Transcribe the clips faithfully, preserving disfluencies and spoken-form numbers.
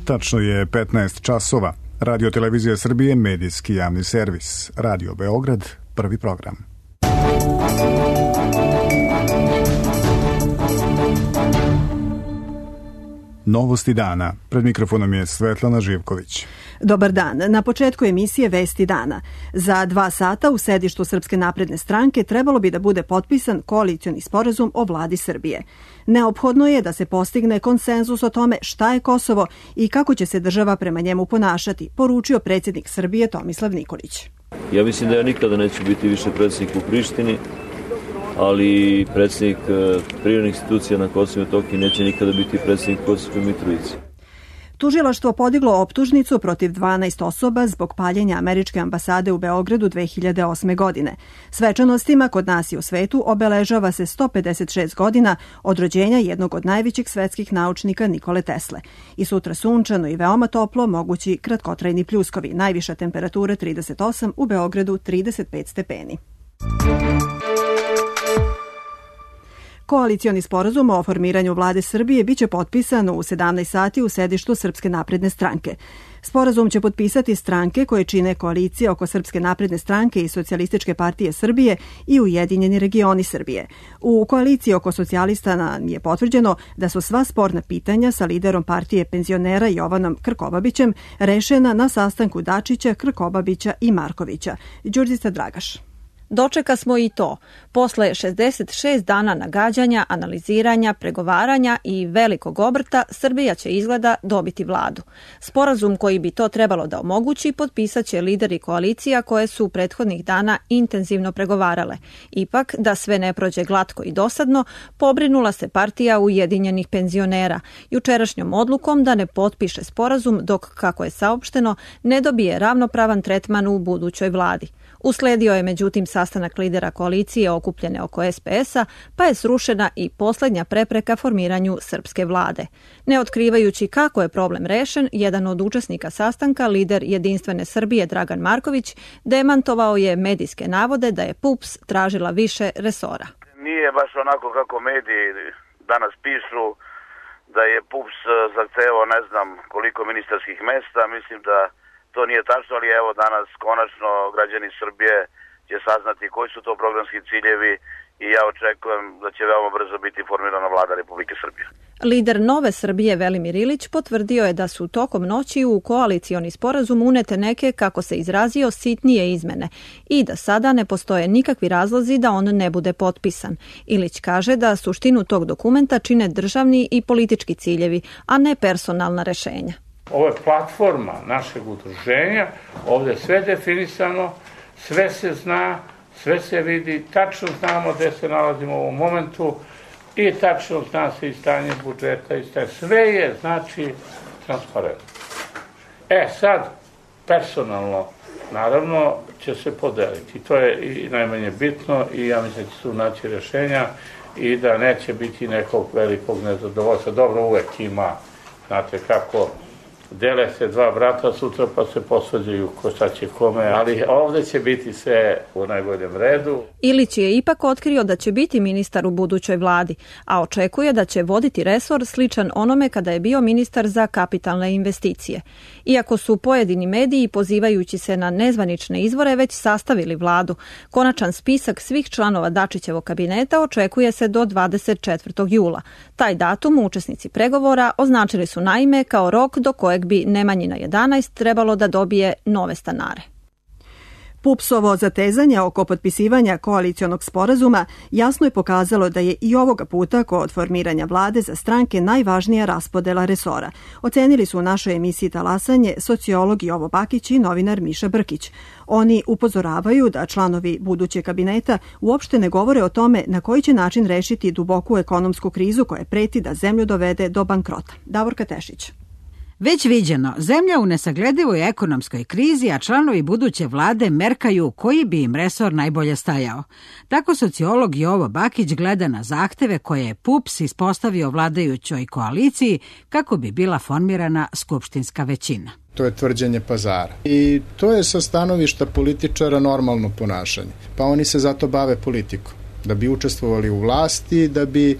Tačno je petnaest časova. Radio Televizija Srbije, medijski javni servis. Radio Beograd, prvi program. Novosti dana. Pred mikrofonom je Svetlana Živković. Dobar dan. Na početku emisije Vesti dana. Za dva sata u sedištu Srpske napredne stranke trebalo bi da bude potpisan koalicioni sporazum o vladi Srbije. Neophodno je da se postigne konsenzus o tome šta je Kosovo i kako će se država prema njemu ponašati, poručio predsjednik Srbije Tomislav Nikolić. Ja mislim da ja nikada neću biti više predsjednik u Prištini, ali predsjednik privremenih institucija na Kosovu i Metohiji neće nikada biti predsjednik Kosovske Mitrovice. Tužilaštvo podiglo optužnicu protiv dvanaest osoba zbog paljenja američke ambasade u Beogradu dve hiljade osme. godine. Svečanostima kod nas i u svetu obeležava se sto pedeset šest godina od rođenja jednog od najvećih svetskih naučnika Nikole Tesle. I sutra sunčano i veoma toplo, mogući kratkotrajni pljuskovi. Najviša temperatura trideset osam, u Beogradu trideset pet stepeni. Koalicioni sporazum o formiranju vlade Srbije biće potpisan u sedamnaest sati u sedištu Srpske napredne stranke. Sporazum će potpisati stranke koje čine koalicije oko Srpske napredne stranke i Socijalističke partije Srbije i Ujedinjeni regioni Srbije. U koaliciji oko socijalista je potvrđeno da su sva sporna pitanja sa liderom partije penzionera Jovanom Krkobabićem rešena na sastanku Dačića, Krkobabića i Markovića. Đurđica Dragaš. Dočeka smo i to. Posle šezdeset šest dana nagađanja, analiziranja, pregovaranja i velikog obrta, Srbija će izgleda dobiti vladu. Sporazum koji bi to trebalo da omogući potpisat će lideri koalicija koje su prethodnih dana intenzivno pregovarale. Ipak, da sve ne prođe glatko i dosadno, pobrinula se partija Ujedinjenih penzionera jučerašnjom odlukom da ne potpiše sporazum dok, kako je saopšteno, ne dobije ravnopravan tretman u budućoj vladi. Usledio je međutim sastanak lidera koalicije okupljene oko es pe es-a, pa je srušena i posljednja prepreka formiranju srpske vlade. Ne otkrivajući kako je problem rešen, jedan od učesnika sastanka, lider Jedinstvene Srbije Dragan Marković, demantovao je medijske navode da je P U P S tražila više resora. Nije baš onako kako mediji danas pišu, da je P U P S zahtevao ne znam koliko ministarskih mesta. Mislim da to nije tačno, ali evo danas konačno građani Srbije će saznati koji su to programski ciljevi i ja očekujem da će veoma brzo biti formirana vlada Republike Srbije. Lider Nove Srbije Velimir Ilić potvrdio je da su tokom noći u koalicioni sporazum unete neke, kako se izrazio, sitnije izmene i da sada ne postoje nikakvi razlozi da on ne bude potpisan. Ilić kaže da suštinu tog dokumenta čine državni i politički ciljevi, a ne personalna rešenja. Ovo je platforma našeg udruženja, ovdje je sve definisano, sve se zna, sve se vidi, tačno znamo gdje se nalazimo u ovom momentu i tačno zna se i stanje budžeta i stanje. Sve je, znači, transparentno. E, sad, personalno, naravno, će se podeliti. To je i najmanje bitno i ja mislim da će se naći rješenja i da neće biti nekog velikog nezadovoljstva. Dobro, uvek ima, znate kako, dele se dva brata sutra pa se posvađaju ko šta će kome, ali ovdje će biti sve u najboljem redu. Ilić je ipak otkrio da će biti ministar u budućoj vladi, a očekuje da će voditi resor sličan onome kada je bio ministar za kapitalne investicije. Iako su pojedini mediji, pozivajući se na nezvanične izvore, već sastavili vladu, konačan spisak svih članova Dačićevog kabineta očekuje se do dvadeset četvrtog jula. Taj datum učesnici pregovora označili su naime kao rok do kojeg bi Nemanjina jedanaest trebalo da dobije nove stanare. P U P S-ovo zatezanje oko potpisivanja koalicionog sporazuma jasno je pokazalo da je i ovoga puta kod formiranja vlade za stranke najvažnija raspodela resora. Ocenili su u našoj emisiji Talasanje sociolog Jovo Bakić i novinar Miša Brkić. Oni upozoravaju da članovi budućeg kabineta uopšte ne govore o tome na koji će način rešiti duboku ekonomsku krizu koja preti da zemlju dovede do bankrota. Davorka Tešić. Već viđeno, zemlja u nesagledivoj ekonomskoj krizi, a članovi buduće vlade merkaju koji bi im resor najbolje stajao. Tako sociolog Jovo Bakić gleda na zahteve koje je P U P S ispostavio vladajućoj koaliciji kako bi bila formirana skupštinska većina. To je tvrđenje pazara. I to je sa stanovišta političara normalno ponašanje. Pa oni se zato bave politikom. da bi učestvovali u vlasti, da bi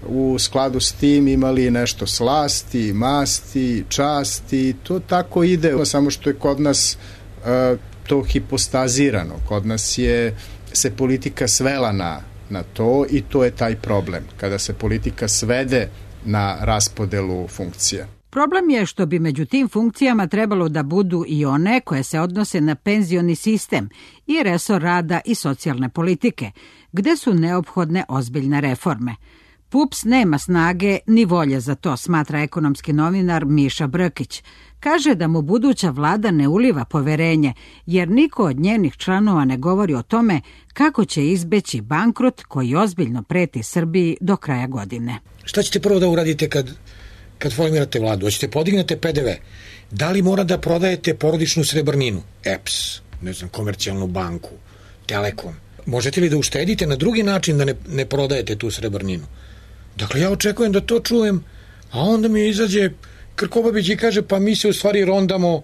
u skladu s tim imali nešto slasti, masti, časti, to tako ide, samo što je kod nas uh, to hipostazirano, kod nas je se politika svela na, na to i to je taj problem, kada se politika svede na raspodelu funkcija. Problem je što bi među tim funkcijama trebalo da budu i one koje se odnose na penzioni sistem i resor rada i socijalne politike, gde su neophodne ozbiljne reforme. P U P S nema snage ni volje za to, smatra ekonomski novinar Miša Brkić. Kaže da mu buduća vlada ne uliva poverenje, jer niko od njenih članova ne govori o tome kako će izbeći bankrot koji ozbiljno preti Srbiji do kraja godine. Šta ćete prvo da uradite kad, kad formirate vladu? Hoćete podignete P D V? Da li mora da prodajete porodičnu srebrninu? E P S, ne znam, Komercijalnu banku, Telekom. Možete li da uštedite na drugi način da ne, ne prodajete tu srebrninu? Dakle, ja očekujem da to čujem, a onda mi izađe Krkobabić i kaže pa mi se u stvari rondamo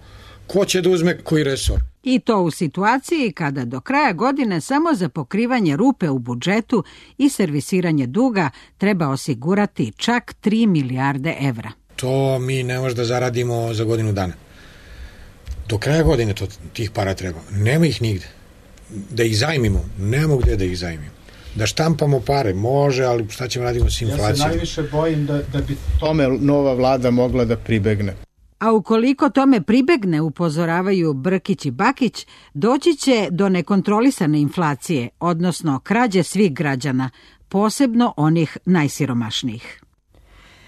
ko će da uzme koji resor. I to u situaciji kada do kraja godine samo za pokrivanje rupe u budžetu i servisiranje duga treba osigurati čak tri milijarde evra. To mi ne možemo da zaradimo za godinu dana. Do kraja godine to, tih para treba. Nema ih nigde. Da ih zajmimo, nema gde da ih zajmimo. Da štampamo pare, može, ali šta ćemo radimo s inflacijom? Ja se najviše bojim da, da bi tome nova vlada mogla da pribegne. A ukoliko tome pribegne, upozoravaju Brkić i Bakić, doći će do nekontrolisane inflacije, odnosno krađe svih građana, posebno onih najsiromašnijih.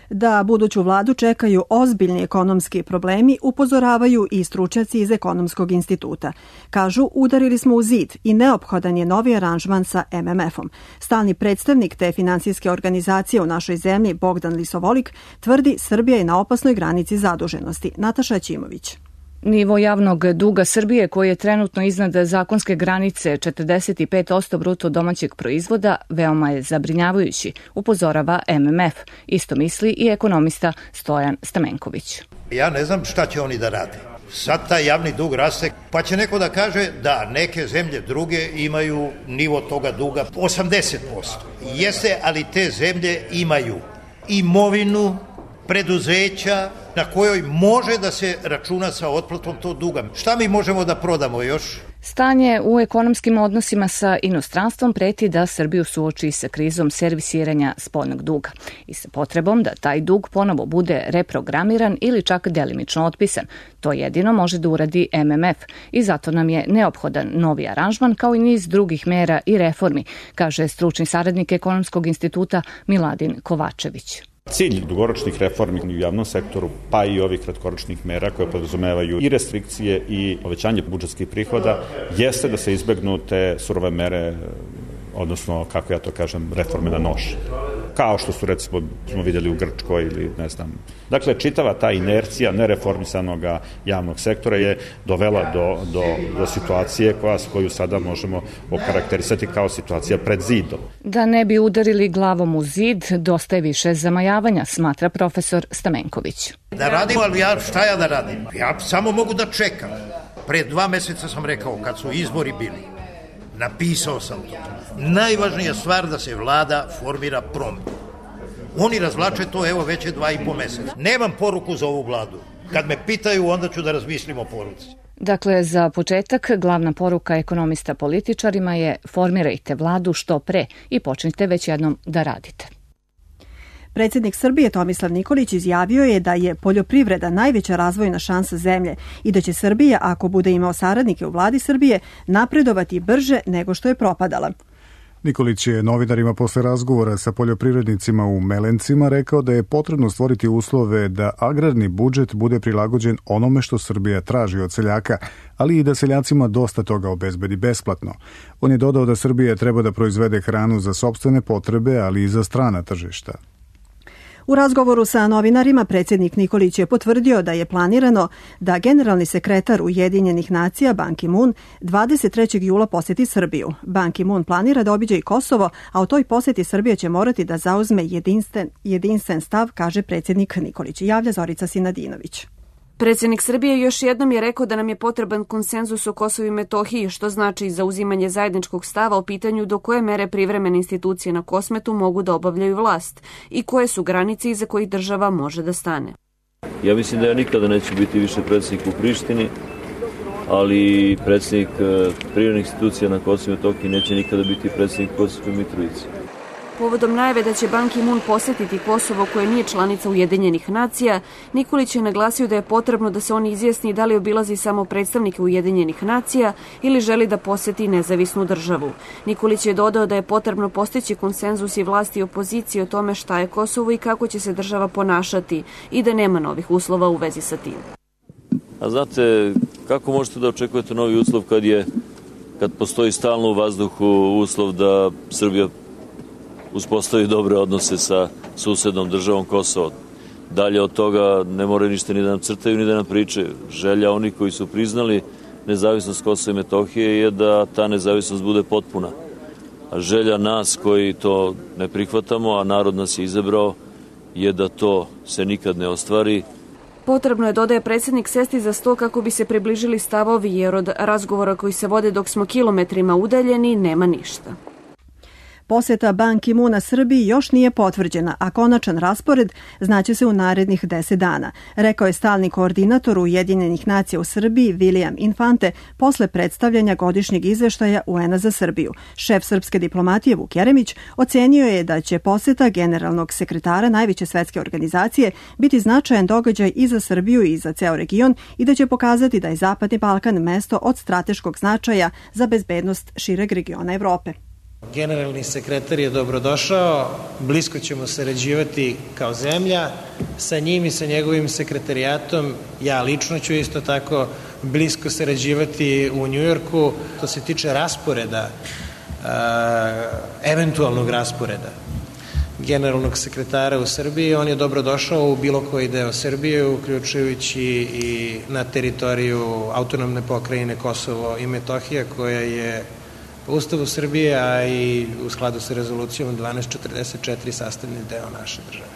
Da buduću vladu čekaju ozbiljni ekonomski problemi, upozoravaju i stručnjaci iz Ekonomskog instituta. Kažu, udarili smo u zid i neophodan je novi aranžman sa M M F-om. Stalni predstavnik te finansijske organizacije u našoj zemlji, Bogdan Lisovolik, tvrdi Srbija je na opasnoj granici zaduženosti. Nataša Ćimović. Nivo javnog duga Srbije, koji je trenutno iznad zakonske granice četrdeset pet posto bruto domaćeg proizvoda, veoma je zabrinjavajući, upozorava M M F. Isto misli i ekonomista Stojan Stamenković. Ja ne znam šta će oni da rade. Sad taj javni dug raste, pa će neko da kaže da neke zemlje druge imaju nivo toga duga osamdeset posto. Jeste, ali te zemlje imaju imovinu, preduzeća na kojoj može da se računa sa otplatom tog duga. Šta mi možemo da prodamo još? Stanje u ekonomskim odnosima sa inostranstvom preti da Srbiju suoči sa krizom servisiranja spoljnog duga i sa potrebom da taj dug ponovo bude reprogramiran ili čak delimično otpisan. To jedino može da uradi M M F i zato nam je neophodan novi aranžman kao i niz drugih mera i reformi, kaže stručni saradnik Ekonomskog instituta Miladin Kovačević. Cilj dugoročnih reformi u javnom sektoru, pa i ovih kratkoročnih mera koje podrazumevaju i restrikcije i povećanje budžetskih prihoda, jeste da se izbegnu te surove mere, odnosno, kako ja to kažem, reforme na nož. Kao što su, recimo, smo vidjeli u Grčkoj ili ne znam. Dakle, čitava ta inercija nereformisanog javnog sektora je dovela do, do, do situacije koja, koju sada možemo okarakterisati kao situacija pred zidom. Da ne bi udarili glavom u zid, dosta je više zamajavanja, smatra profesor Stamenković. Da radim, ali ja, šta ja da radim? Ja samo mogu da čekam. Pre dva meseca sam rekao, kad su izbori bili, napisao sam to. Najvažnija stvar da se vlada formira promptno. Oni razvlače to, evo, već je dva i po meseca. Nemam poruku za ovu vladu. Kad me pitaju, onda ću da razmislim o poruci. Dakle, za početak, glavna poruka ekonomista političarima je formirajte vladu što pre i počnite već jednom da radite. Predsjednik Srbije Tomislav Nikolić izjavio je da je poljoprivreda najveća razvojna šansa zemlje i da će Srbija, ako bude imao saradnike u vladi Srbije, napredovati brže nego što je propadala. Nikolić je novinarima posle razgovora sa poljoprivrednicima u Melencima rekao da je potrebno stvoriti uslove da agrarni budžet bude prilagođen onome što Srbija traži od seljaka, ali i da seljacima dosta toga obezbedi besplatno. On je dodao da Srbija treba da proizvede hranu za sopstvene potrebe, ali i za strana tržišta. U razgovoru sa novinarima predsjednik Nikolić je potvrdio da je planirano da generalni sekretar Ujedinjenih nacija Ban Ki-moon dvadeset trećeg jula poseti Srbiju. Ban Ki-moon planira da obiđe i Kosovo, a u toj posjeti Srbija će morati da zauzme jedinstven, jedinstven stav, kaže predsjednik Nikolić. Javlja Zorica Sinadinović. Predsjednik Srbije još jednom je rekao da nam je potreban konsenzus o Kosovu i Metohiji, što znači zauzimanje zajedničkog stava o pitanju do koje mere privremene institucije na Kosmetu mogu da obavljaju vlast i koje su granice iza kojih država može da stane. Ja mislim da ja nikada neću biti više predsjednik u Prištini, ali predsjednik privremenih institucija na Kosovu i Metohiji neće nikada biti predsjednik Kosovskoj Mitrovici. Povodom najave da će Ban Ki-moon posetiti Kosovo koje nije članica Ujedinjenih nacija, Nikolić je naglasio da je potrebno da se on izjasni da li obilazi samo predstavnike Ujedinjenih nacija ili želi da poseti nezavisnu državu. Nikolić je dodao da je potrebno postići konsenzus i vlasti i opozicije o tome šta je Kosovo i kako će se država ponašati i da nema novih uslova u vezi sa tim. A znate, kako možete da očekujete novi uslov kad je, kad postoji stalno u vazduhu uslov da Srbija uspostavi dobre odnose sa susednom državom Kosovo. Dalje od toga ne moraju ništa ni da nam crtaju ni da nam pričaju. Želja onih koji su priznali nezavisnost Kosova i Metohije je da ta nezavisnost bude potpuna. A želja nas koji to ne prihvatamo, a narod nas je izabrao, je da to se nikad ne ostvari. Potrebno je, dodaje predsjednik, sesti za sto kako bi se približili stavovi, jer od razgovora koji se vode dok smo kilometrima udaljeni nema ništa. Posjeta Ban Ki-moona Srbiji još nije potvrđena, a konačan raspored znaće se u narednih deset dana, rekao je stalni koordinator Ujedinjenih nacija u Srbiji William Infante posle predstavljanja godišnjeg izveštaja U N-a za Srbiju. Šef srpske diplomatije Vuk Jeremić ocenio je da će posjeta generalnog sekretara najveće svetske organizacije biti značajan događaj i za Srbiju i za ceo region i da će pokazati da je Zapadni Balkan mesto od strateškog značaja za bezbednost šireg regiona Evrope. Generalni sekretar je dobrodošao, blisko ćemo sarađivati kao zemlja, sa njim i sa njegovim sekretarijatom, ja lično ću isto tako blisko sarađivati u Njujorku. To se tiče rasporeda, eventualnog rasporeda generalnog sekretara u Srbiji, on je dobrodošao u bilo koji deo Srbije, uključujući i na teritoriju autonomne pokrajine Kosovo i Metohija, koja je po Ustavu Srbije, a i u skladu sa rezolucijom dvanaest četrdeset četiri sastavni deo naše države.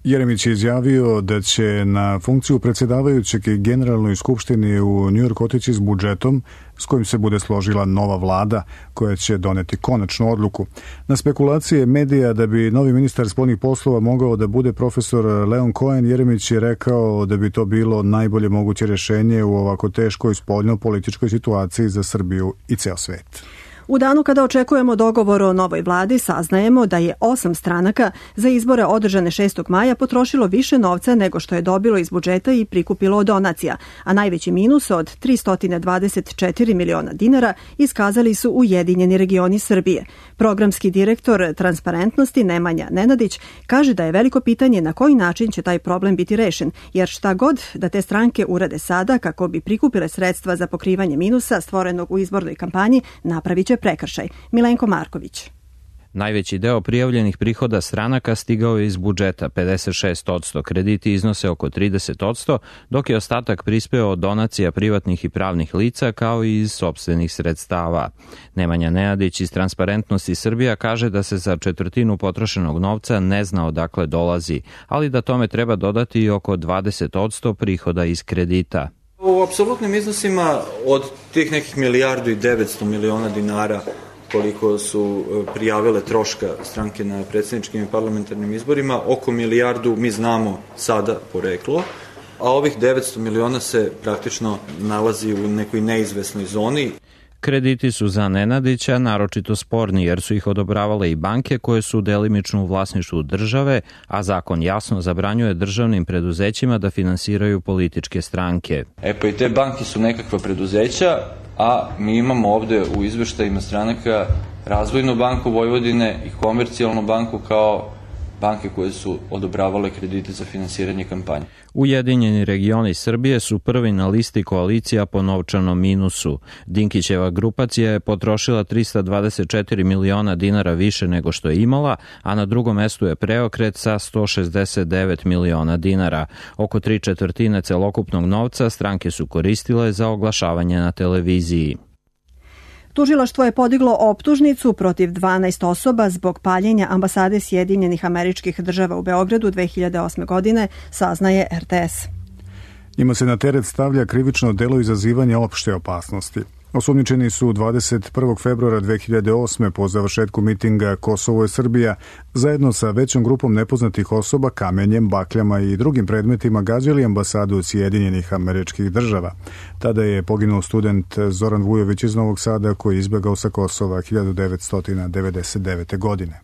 Jeremić je izjavio da će na funkciju predsjedavajućeg generalnoj skupštini u Njujorku otići s budžetom s kojim se bude složila nova vlada koja će doneti konačnu odluku. Na spekulacije medija da bi novi ministar spoljnih poslova mogao da bude profesor Leon Cohen, Jeremić je rekao da bi to bilo najbolje moguće rješenje u ovako teškoj spoljno-političkoj situaciji za Srbiju i ceo svet. U danu kada očekujemo dogovor o novoj vladi, saznajemo da je osam stranaka za izbore održane šestog maja potrošilo više novca nego što je dobilo iz budžeta i prikupilo od donacija, a najveći minus od tristo dvadeset četiri miliona dinara iskazali su Ujedinjeni regioni Srbije. Programski direktor Transparentnosti Nemanja Nenadić kaže da je veliko pitanje na koji način će taj problem biti rešen, jer šta god da te stranke urade sada kako bi prikupile sredstva za pokrivanje minusa stvorenog u izbornoj kampanji, napravit će prekršaj. Milenko Marković. Najveći deo prijavljenih prihoda stranaka stigao je iz budžeta, pedeset šest posto, krediti iznose oko trideset posto, dok je ostatak prispeo od donacija privatnih i pravnih lica kao i iz sopstvenih sredstava. Nemanja Nenadić iz Transparentnosti Srbija kaže da se za četvrtinu potrošenog novca ne zna odakle dolazi, ali da tome treba dodati i oko dvadeset posto prihoda iz kredita. U apsolutnim iznosima od tih nekih milijardu i devetsto miliona dinara koliko su prijavile troška stranke na predsjedničkim i parlamentarnim izborima, oko milijardu mi znamo sada poreklo, a ovih devetsto miliona se praktično nalazi u nekoj neizvesnoj zoni. Krediti su za Nenadića naročito sporni jer su ih odobravale i banke koje su delimično u vlasništvu države, a zakon jasno zabranjuje državnim preduzećima da finansiraju političke stranke. E pa i te banke su nekakva preduzeća, a mi imamo ovde u izveštajima stranaka Razvojnu banku Vojvodine i Komercijalnu banku kao banke koje su odobravale kredite za finansiranje kampanje. Ujedinjeni regioni Srbije su prvi na listi koalicija po novčanom minusu. Dinkićeva grupacija je potrošila tristo dvadeset četiri miliona dinara više nego što je imala, a na drugom mestu je Preokret sa sto šezdeset devet miliona dinara. Oko tri četvrtine celokupnog novca stranke su koristile za oglašavanje na televiziji. Tužilaštvo je podiglo optužnicu protiv dvanaest osoba zbog paljenja ambasade Sjedinjenih Američkih Država u Beogradu dve hiljade osme godine, saznaje R T S. Njima se na teret stavlja krivično delo izazivanja opšte opasnosti. Osumnjičeni su dvadeset prvog februara dve hiljade osme po završetku mitinga Kosovo je Srbija zajedno sa većom grupom nepoznatih osoba kamenjem, bakljama i drugim predmetima gađali ambasadu Sjedinjenih Američkih Država. Tada je poginuo student Zoran Vujović iz Novog Sada koji je izbegao sa Kosova hiljadu devetsto devedeset devete. godine.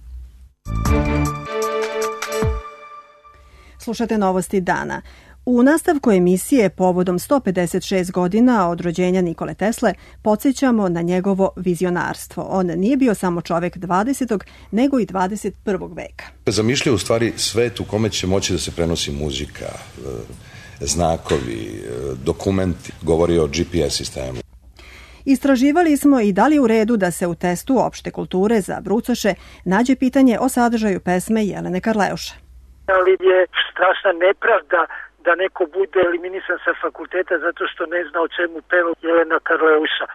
Slušate novosti dana. U nastavku emisije povodom sto pedeset šest godina od rođenja Nikole Tesle podsjećamo na njegovo vizionarstvo. On nije bio samo čovek dvadesetog nego i dvadeset prvog veka. Zamišljao u stvari svet u kome će moći da se prenosi muzika, znakovi, dokumenti, govori o G P S sistemu. Istraživali smo i da li je u redu da se u testu opšte kulture za brucoše nađe pitanje o sadržaju pesme Jelene Karleuše. Ali je strašna nepravda da neko bude eliminisan sa fakulteta zato što ne zna o čemu peva Jelena Karleuša.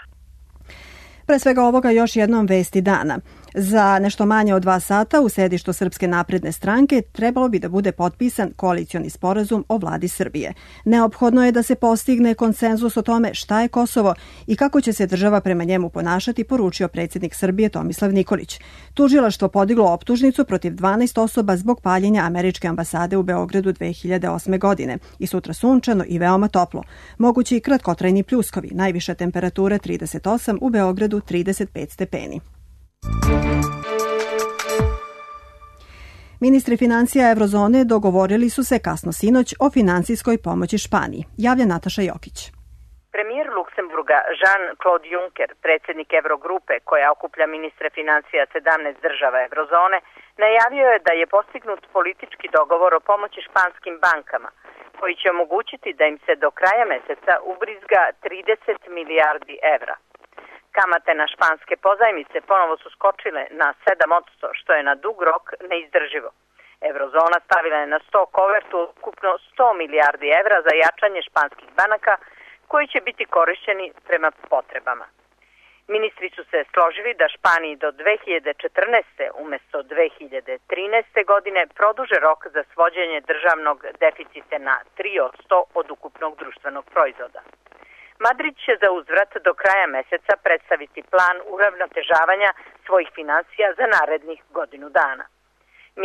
Pre svega ovoga još jednom vesti dana. Za nešto manje od dva sata u sedištu Srpske napredne stranke trebalo bi da bude potpisan koalicioni sporazum o vladi Srbije. Neophodno je da se postigne konsenzus o tome šta je Kosovo i kako će se država prema njemu ponašati, poručio predsjednik Srbije Tomislav Nikolić. Tužilaštvo podiglo optužnicu protiv dvanaest osoba zbog paljenja američke ambasade u Beogradu dve hiljade osme. godine. I sutra sunčano i veoma toplo. Mogući i kratkotrajni pljuskovi, najviša temperatura trideset osam, u Beogradu trideset pet stepeni. Ministri financija Eurozone dogovorili su se kasno sinoć o financijskoj pomoći Španiji. Javlja Nataša Jokić. Premijer Luksemburga Jean-Claude Juncker, predsjednik Eurogrupe koja okuplja ministre financija sedamnaest država Eurozone, najavio je da je postignut politički dogovor o pomoći španskim bankama, koji će omogućiti da im se do kraja meseca ubrizga trideset milijardi evra. Kamate na španske pozajmice ponovo su skočile na sedam posto, što je na dug rok neizdrživo. Eurozona stavila je na sto kovertu ukupno sto milijardi evra za jačanje španskih banaka, koji će biti korišćeni prema potrebama. Ministri su se složili da Španiji do dve hiljade četrnaeste. umjesto dve hiljade trinaeste. godine produže rok za svođenje državnog deficita na tri posto od ukupnog društvenog proizvoda. Madrid će za uzvrat do kraja meseca predstaviti plan uravnotežavanja svojih financija za narednih godinu dana.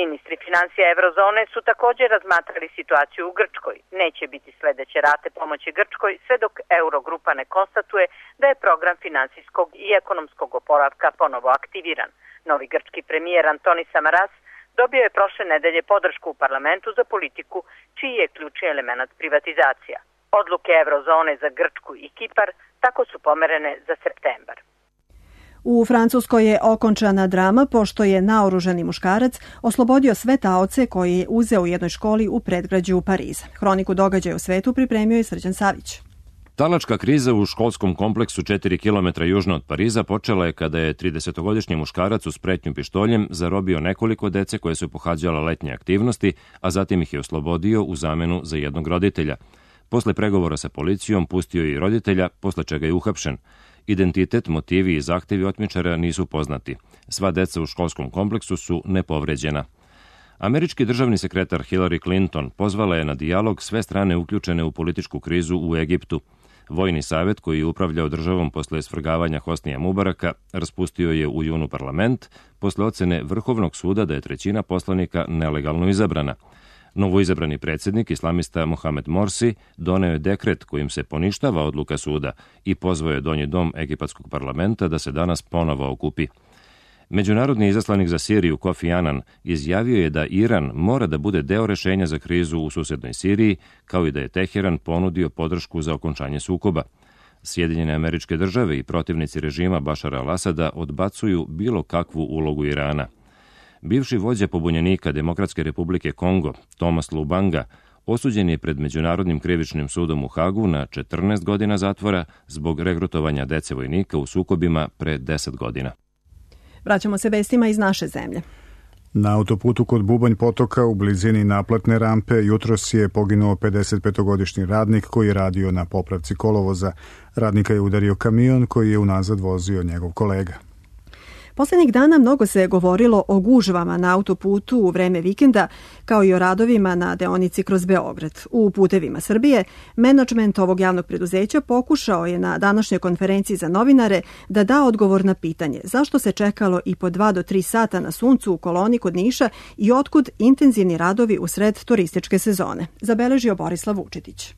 Ministri financija Eurozone su također razmatrali situaciju u Grčkoj. Neće biti sledeće rate pomoći Grčkoj sve dok Eurogrupa ne konstatuje da je program finansijskog i ekonomskog oporavka ponovo aktiviran. Novi grčki premijer Antonis Samaras dobio je prošle nedelje podršku u parlamentu za politiku čiji je ključni element privatizacija. Odluke Eurozone za Grčku i Kipar tako su pomerene za septembar. U Francuskoj je okončana drama pošto je naoružani muškarac oslobodio sve taoce koje je uzeo u jednoj školi u predgrađu Pariza. Hroniku događaja u svetu pripremio je Srđan Savić. Talačka kriza u školskom kompleksu četiri kilometra južno od Pariza počela je kada je tridesetogodišnji muškarac uz pretnju pištoljem zarobio nekoliko dece koje su pohađala letnje aktivnosti, a zatim ih je oslobodio u zamenu za jednog roditelja. Posle pregovora sa policijom pustio je i roditelja, posle čega je uhapšen. Identitet, motivi i zahtevi otmičara nisu poznati. Sva deca u školskom kompleksu su nepovređena. Američki državni sekretar Hillary Clinton pozvala je na dijalog sve strane uključene u političku krizu u Egiptu. Vojni savet koji je upravljao državom posle svrgavanja Hosnija Mubaraka raspustio je u junu parlament posle ocene Vrhovnog suda da je trećina poslanika nelegalno izabrana. Novoizabrani predsjednik islamista Mohamed Morsi doneo je dekret kojim se poništava odluka suda i pozvao je donji dom egipatskog parlamenta da se danas ponovo okupi. Međunarodni izaslanik za Siriju Kofi Annan izjavio je da Iran mora da bude deo rešenja za krizu u susednoj Siriji, kao i da je Teheran ponudio podršku za okončanje sukoba. Sjedinjene Američke Države i protivnici režima Bašara al-Asada odbacuju bilo kakvu ulogu Irana. Bivši vođa pobunjenika Demokratske republike Kongo, Thomas Lubanga, osuđen je pred Međunarodnim krivičnim sudom u Hagu na četrnaest godina zatvora zbog regrutovanja dece vojnika u sukobima pre deset godina. Vraćamo se vestima iz naše zemlje. Na autoputu kod Bubanj potoka u blizini naplatne rampe jutros je poginuo pedesetpetogodišnji radnik koji je radio na popravci kolovoza. Radnika je udario kamion koji je unazad vozio njegov kolega. Poslednjih dana mnogo se govorilo o gužvama na autoputu u vreme vikenda, kao i o radovima na deonici kroz Beograd. U Putevima Srbije, menadžment ovog javnog preduzeća pokušao je na današnjoj konferenciji za novinare da da odgovor na pitanje zašto se čekalo i po dva do tri sata na suncu u koloni kod Niša i otkud intenzivni radovi usred turističke sezone, zabeležio Borislav Vučetić.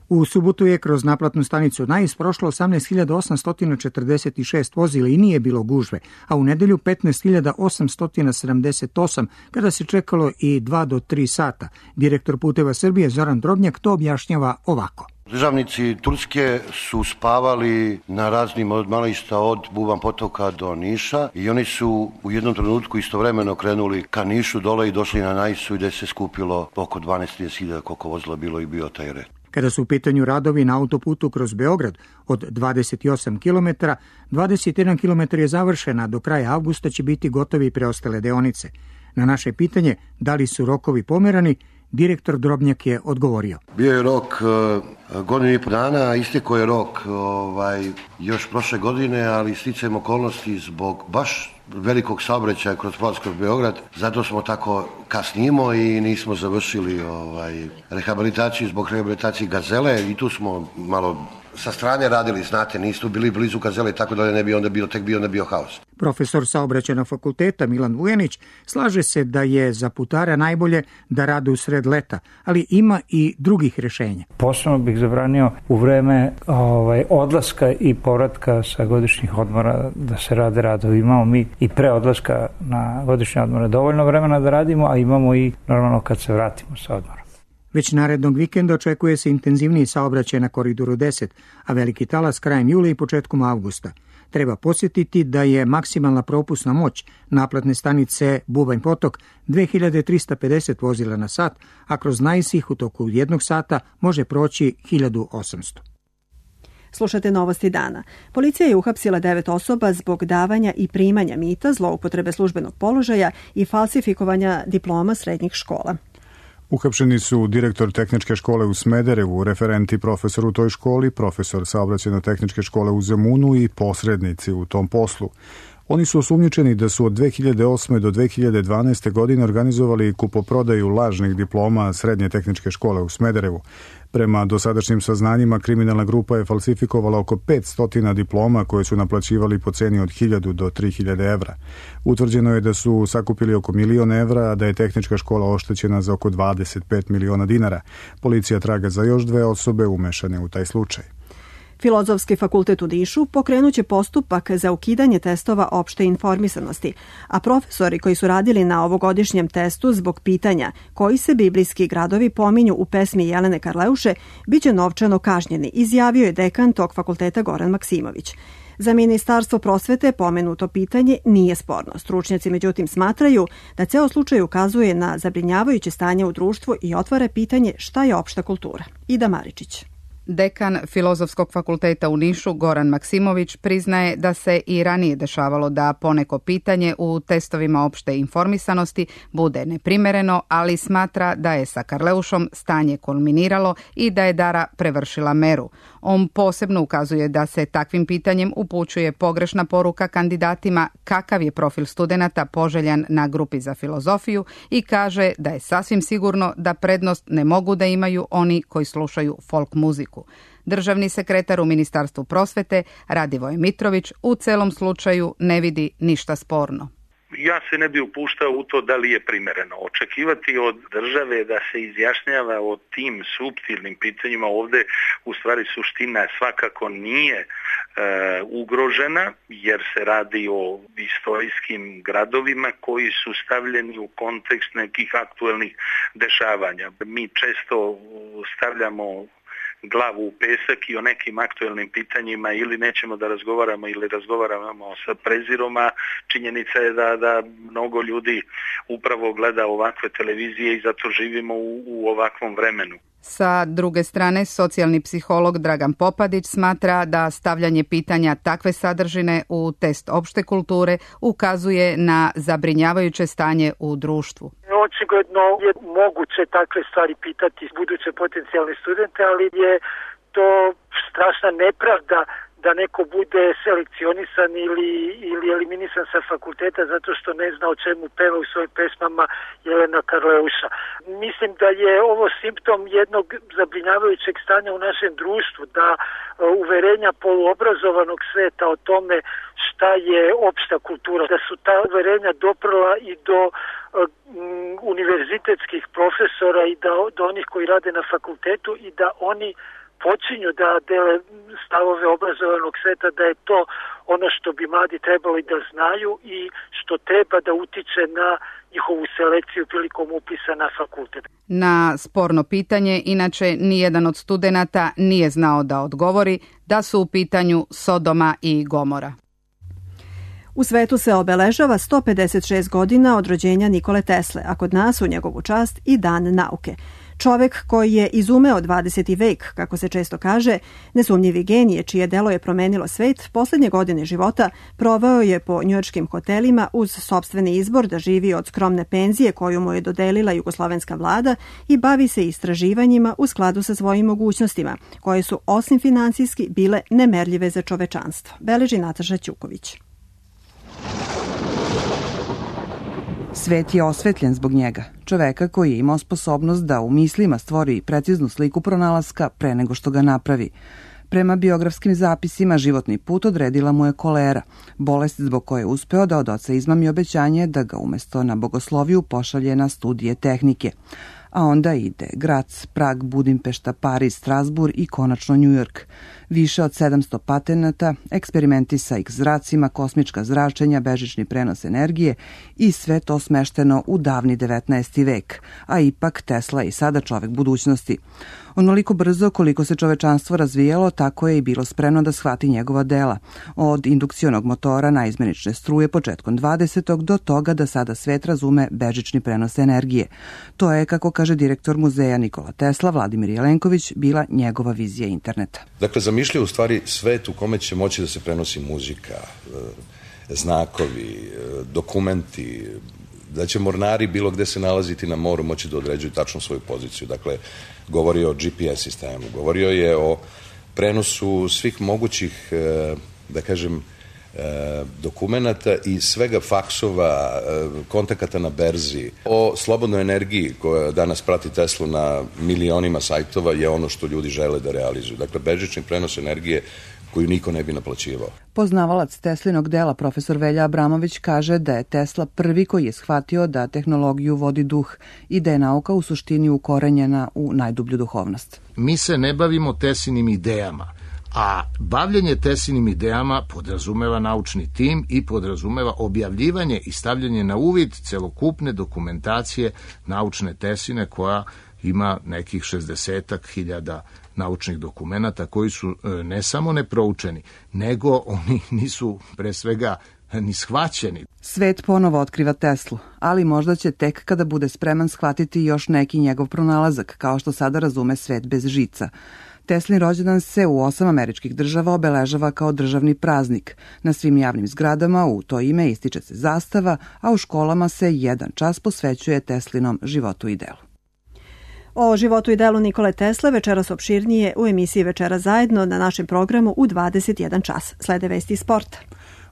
U subotu je kroz naplatnu stanicu Nais prošlo osamnaest hiljada osamsto četrdeset šest vozila i nije bilo gužve, a u nedelju petnaest hiljada osamsto sedamdeset osam kada se čekalo i dva do tri sata. Direktor Puteva Srbije Zoran Drobnjak to objašnjava ovako. Državnici Turske su spavali na raznim odmališta od Buban potoka do Niša i oni su u jednom trenutku istovremeno krenuli ka Nišu dole i došli na Naisu gde se skupilo oko dvanaest hiljada koliko vozila bilo i bio taj red. Kada su u pitanju radovi na autoputu kroz Beograd od dvadeset osam kilometara, dvadeset jedan kilometar je završena, do kraja avgusta će biti gotovi preostale deonice. Na naše pitanje da li su rokovi pomerani, direktor Drobnjak je odgovorio. Bio je rok uh, godinu i po dana, istekao je rok ovaj, još prošle godine, ali sticajem okolnosti zbog baš velikog saobraćaja kroz prolaz kroz Beograd, zato smo tako kasnimo i nismo završili ovaj, rehabilitaciju zbog rehabilitacije Gazele i tu smo malo sa strane radili, znate, nisu bili blizu Gazele, tako da ne bi onda bio, tek bio, onda bio haos. Profesor saobraćajnog fakulteta Milan Vujanić slaže se da je za putara najbolje da rade u sred leta, ali ima i drugih rešenja. Posebno bih zabranio u vreme ovaj, odlaska i povratka sa godišnjih odmora da se rade radovi. Imamo mi i pre odlaska na godišnje odmore dovoljno vremena da radimo, a imamo i normalno kad se vratimo sa odmora. Već narednog vikenda očekuje se intenzivniji saobraćaj na Koridoru deset, a veliki talas krajem jula i početkom avgusta. Treba podsjetiti da je maksimalna propusna moć naplatne stanice Bubanj potok dve hiljade trista pedeset vozila na sat, a kroz Nais ih u toku jednog sata može proći hiljadu osamsto. Slušate novosti dana. Policija je uhapsila devet osoba zbog davanja i primanja mita, zloupotrebe službenog položaja i falsifikovanja diploma srednjih škola. Uhapšeni su direktor tehničke škole u Smederevu, referenti profesor u toj školi, profesor saobraćajno-tehničke škole u Zemunu i posrednici u tom poslu. Oni su osumnjičeni da su od dve hiljade osme do dve hiljade dvanaeste. godine organizovali kupoprodaju lažnih diploma srednje tehničke škole u Smederevu. Prema dosadašnjim saznanjima, kriminalna grupa je falsifikovala oko petsto diploma koje su naplaćivali po ceni od hiljadu do tri hiljade evra. Utvrđeno je da su sakupili oko milion evra, a da je tehnička škola oštećena za oko dvadeset pet miliona dinara. Policija traga za još dve osobe umešane u taj slučaj. Filozofski fakultet u Nišu pokrenuće postupak za ukidanje testova opšte informisanosti, a profesori koji su radili na ovogodišnjem testu zbog pitanja koji se biblijski gradovi pominju u pesmi Jelene Karleuše biće novčano kažnjeni, izjavio je dekan tog fakulteta Goran Maksimović. Za Ministarstvo prosvete pomenuto pitanje nije sporno. Stručnjaci međutim smatraju da ceo slučaj ukazuje na zabrinjavajuće stanje u društvu i otvara pitanje šta je opšta kultura. Ida Maričić. Dekan Filozofskog fakulteta u Nišu Goran Maksimović priznaje da se i ranije dešavalo da poneko pitanje u testovima opšte informisanosti bude neprimereno, ali smatra da je sa Karleušom stanje kulminiralo i da je Dara prevršila meru. On posebno ukazuje da se takvim pitanjem upućuje pogrešna poruka kandidatima kakav je profil studenata poželjan na grupi za filozofiju i kaže da je sasvim sigurno da prednost ne mogu da imaju oni koji slušaju folk muziku. Državni sekretar u Ministarstvu prosvete Radivoje Mitrović u celom slučaju ne vidi ništa sporno. Ja se ne bi upuštao u to da li je primereno. Očekivati od države da se izjašnjava o tim suptilnim pitanjima ovde u stvari suština svakako nije e, ugrožena jer se radi o istorijskim gradovima koji su stavljeni u kontekst nekih aktuelnih dešavanja. Mi često stavljamo glavu u pesak i o nekim aktuelnim pitanjima ili nećemo da razgovaramo ili razgovaramo sa prezirom, a činjenica je da, da mnogo ljudi upravo gleda ovakve televizije i zato živimo u, u ovakvom vremenu. Sa druge strane, socijalni psiholog Dragan Popadić smatra da stavljanje pitanja takve sadržine u test opšte kulture ukazuje na zabrinjavajuće stanje u društvu. Očigledno je moguće takve stvari pitati buduće potencijalne studente, ali je to strašna nepravda da neko bude selekcionisan ili, ili eliminisan sa fakulteta zato što ne zna o čemu peva u svojim pesmama Jelena Karleuša. Mislim da je ovo simptom jednog zabrinjavajućeg stanja u našem društvu, da uverenja poluobrazovanog sveta o tome šta je opšta kultura, da su ta uverenja doprla i do um, univerzitetskih profesora i da, do onih koji rade na fakultetu i da oni počinju da dele stavove obrazovanog sveta, da je to ono što bi mladi trebali da znaju i što treba da utiče na njihovu selekciju prilikom upisa na fakultet. Na sporno pitanje, inače, nijedan od studenata nije znao da odgovori da su u pitanju Sodoma i Gomora. U svetu se obeležava sto pedeset šest godina od rođenja Nikole Tesle, a kod nas u njegovu čast i Dan nauke. Čovek koji je izumeo dvadeseti vek, kako se često kaže, nesumnjivi genije čije delo je promenilo svet, poslednje godine života proveo je po njujorškim hotelima uz sopstveni izbor da živi od skromne penzije koju mu je dodelila jugoslovenska vlada i bavi se istraživanjima u skladu sa svojim mogućnostima, koje su osim finansijski bile nemerljive za čovečanstvo. Beleži Nataša Ćuković. Svet je osvetljen zbog njega, čoveka koji je imao sposobnost da u mislima stvori preciznu sliku pronalaska pre nego što ga napravi. Prema biografskim zapisima, životni put odredila mu je kolera, bolest zbog koje je uspeo da od oca izmami obećanje da ga umesto na bogosloviju pošalje na studije tehnike. A onda ide Grac, Prag, Budimpešta, Pariz, Strasburg i konačno Njujork. Više od sedamsto patenata, eksperimenti sa X zracima, kosmička zračenja, bežični prenos energije i sve to smešteno u davni devetnaesti vek, a ipak Tesla je i sada čovek budućnosti. Onoliko brzo koliko se čovečanstvo razvijalo, tako je i bilo spremno da shvati njegova dela. Od indukcionog motora na izmenične struje početkom dvadesetog do toga da sada svet razume bežični prenos energije. To je, kako kaže direktor muzeja Nikola Tesla, Vladimir Jelenković, bila njegova vizija interneta. Dakle, zamišljaju u stvari svet u kome će moći da se prenosi muzika, znakovi, dokumenti, da će mornari bilo gde se nalaziti na moru moći da određuju tačno svoju poziciju. Dakle, govorio o G P S sistemu, govorio je o prenosu svih mogućih, da kažem, dokumenata i svega faksova, kontakata na berzi. O slobodnoj energiji koja danas prati Teslu na milionima sajtova je ono što ljudi žele da realizuju. Dakle, bežični prenos energije koju niko ne bi naplaćivao. Poznavalac Teslinog dela, profesor Velja Abramović, kaže da je Tesla prvi koji je shvatio da tehnologiju vodi duh i da je nauka u suštini ukorenjena u najdublju duhovnost. Mi se ne bavimo Teslinim idejama, a bavljenje Teslinim idejama podrazumeva naučni tim i podrazumeva objavljivanje i stavljanje na uvid celokupne dokumentacije naučne Tesline koja ima nekih šezdesetak hiljada naučnih dokumenata koji su ne samo neproučeni, nego oni nisu pre svega ni shvaćeni. Svet ponovo otkriva Teslu, ali možda će tek kada bude spreman shvatiti još neki njegov pronalazak, kao što sada razume svet bez žica. Teslin rođendan se u osam američkih država obeležava kao državni praznik. Na svim javnim zgradama u to ime ističe se zastava, a u školama se jedan čas posvećuje Teslinom životu i delu. O životu i delu Nikole Tesle večeras opširnije u emisiji Večera zajedno na našem programu u dvadeset jedan čas. Slede vesti iz sporta.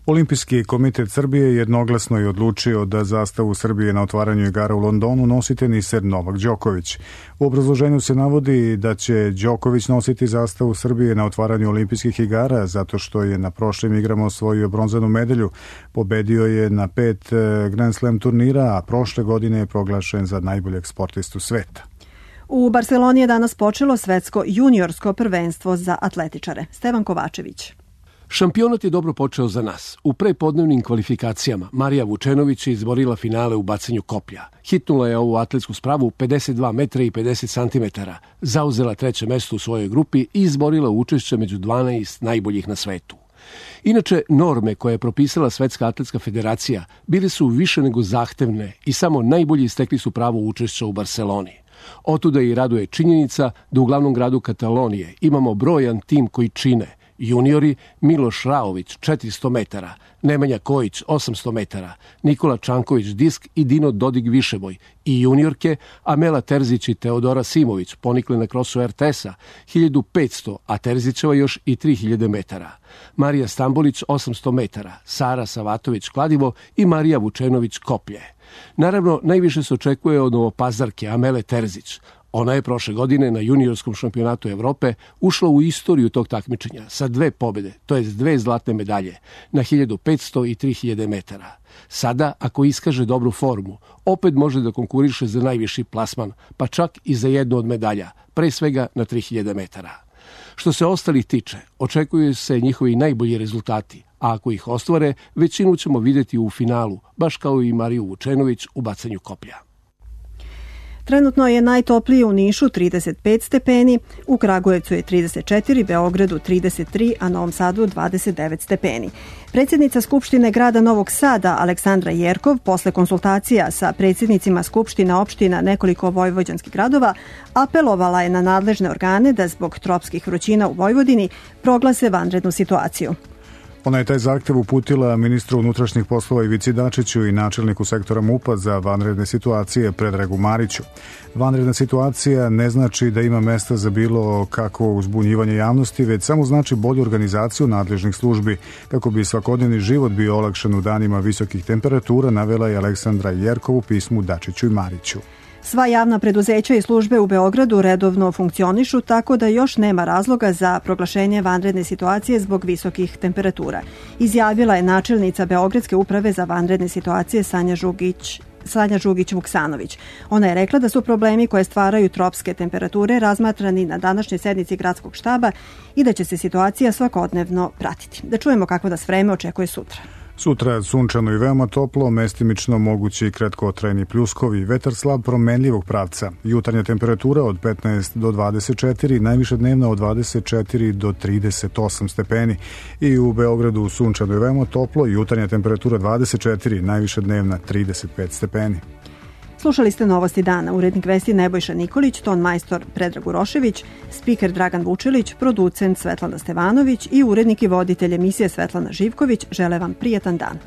Olimpijski komitet Srbije jednoglasno je odlučio da zastavu Srbije na otvaranju igara u Londonu nosi teniser Novak Đoković. U obrazloženju se navodi da će Đoković nositi zastavu Srbije na otvaranju olimpijskih igara zato što je na prošlim igrama osvojio bronzanu medalju. Pobedio je na pet Grand Slam turnira, a prošle godine je proglašen za najboljeg sportistu sveta. U Barceloni je danas počelo svetsko juniorsko prvenstvo za atletičare. Stevan Kovačević. Šampionat je dobro počeo za nas. U prepodnevnim kvalifikacijama Marija Vučenović je izborila finale u bacanju koplja. Hitnula je ovu atletsku spravu pedeset dva metra i pedeset centimetara, zauzela treće mesto u svojoj grupi i izborila učešće među dvanaest najboljih na svetu. Inače, norme koje je propisala Svetska atletska federacija bile su više nego zahtevne i samo najbolji stekli su pravo učešća u Barceloni. Otuda i raduje činjenica da u glavnom gradu Katalonije imamo brojan tim koji čine Juniori Miloš Raović četiristo metara, Nemanja Kojić osamsto metara, Nikola Čanković disk i Dino Dodig višeboj i juniorke Amela Terzić i Teodora Simović ponikle na krosu er te es-a hiljadu petsto, a Terzićeva još i tri hiljade metara. Marija Stambolić osamsto metara, Sara Savatović kladivo i Marija Vučenović koplje. Naravno, najviše se očekuje od Novopazarke Amele Terzić. Ona je prošle godine na juniorskom šampionatu Evrope ušla u istoriju tog takmičenja sa dve pobjede, to jest dve zlatne medalje, na hiljadu petsto i tri hiljade metara. Sada, ako iskaže dobru formu, opet može da konkuriše za najviši plasman, pa čak i za jednu od medalja, pre svega na tri hiljade metara. Što se ostalih tiče, očekuju se njihovi najbolji rezultati, a ako ih ostvare, većinu ćemo vidjeti u finalu, baš kao i Mariju Vučenović u bacanju koplja. Trenutno je najtoplije u Nišu trideset pet stepeni, u Kragujevcu je trideset četiri, Beogradu trideset tri, a Novom Sadu dvadeset devet stepeni. Predsjednica Skupštine grada Novog Sada, Aleksandra Jerkov, posle konsultacija sa predsjednicima Skupština opština nekoliko vojvođanskih gradova, apelovala je na nadležne organe da zbog tropskih vrućina u Vojvodini proglase vanrednu situaciju. Ona je taj zahtev uputila ministru unutrašnjih poslova Ivici Dačiću i načelniku sektora MUP-a za vanredne situacije Predragu Mariću. Vanredna situacija ne znači da ima mesta za bilo kakvo uzbunjivanje javnosti, već samo znači bolju organizaciju nadležnih službi, kako bi svakodnevni život bio olakšan u danima visokih temperatura, navela je Aleksandra Jerkov u pismu Dačiću i Mariću. Sva javna preduzeća i službe u Beogradu redovno funkcionišu, tako da još nema razloga za proglašenje vanredne situacije zbog visokih temperatura, izjavila je načelnica Beogradske uprave za vanredne situacije Sanja Žugić Sanja Žugić-Vuksanović. Ona je rekla da su problemi koje stvaraju tropske temperature razmatrani na današnjoj sednici gradskog štaba i da će se situacija svakodnevno pratiti. Da čujemo kako nas vreme očekuje sutra. Sutra sunčano i veoma toplo, mestimično mogući i kratkotrajni pljuskovi, vetar slab promenljivog pravca. Jutarnja temperatura od petnaest do dvadeset četiri, najviša dnevna od dvadeset četiri do trideset osam stepeni. I u Beogradu sunčano i veoma toplo, jutarnja temperatura dvadeset četiri, najviša dnevna trideset pet stepeni. Slušali ste Novosti dana, urednik vesti Nebojša Nikolić, ton majstor Predrag Urošević, spiker Dragan Vučilić, producent Svetlana Stevanović i urednik i voditelj emisije Svetlana Živković. Žele vam prijatan dan.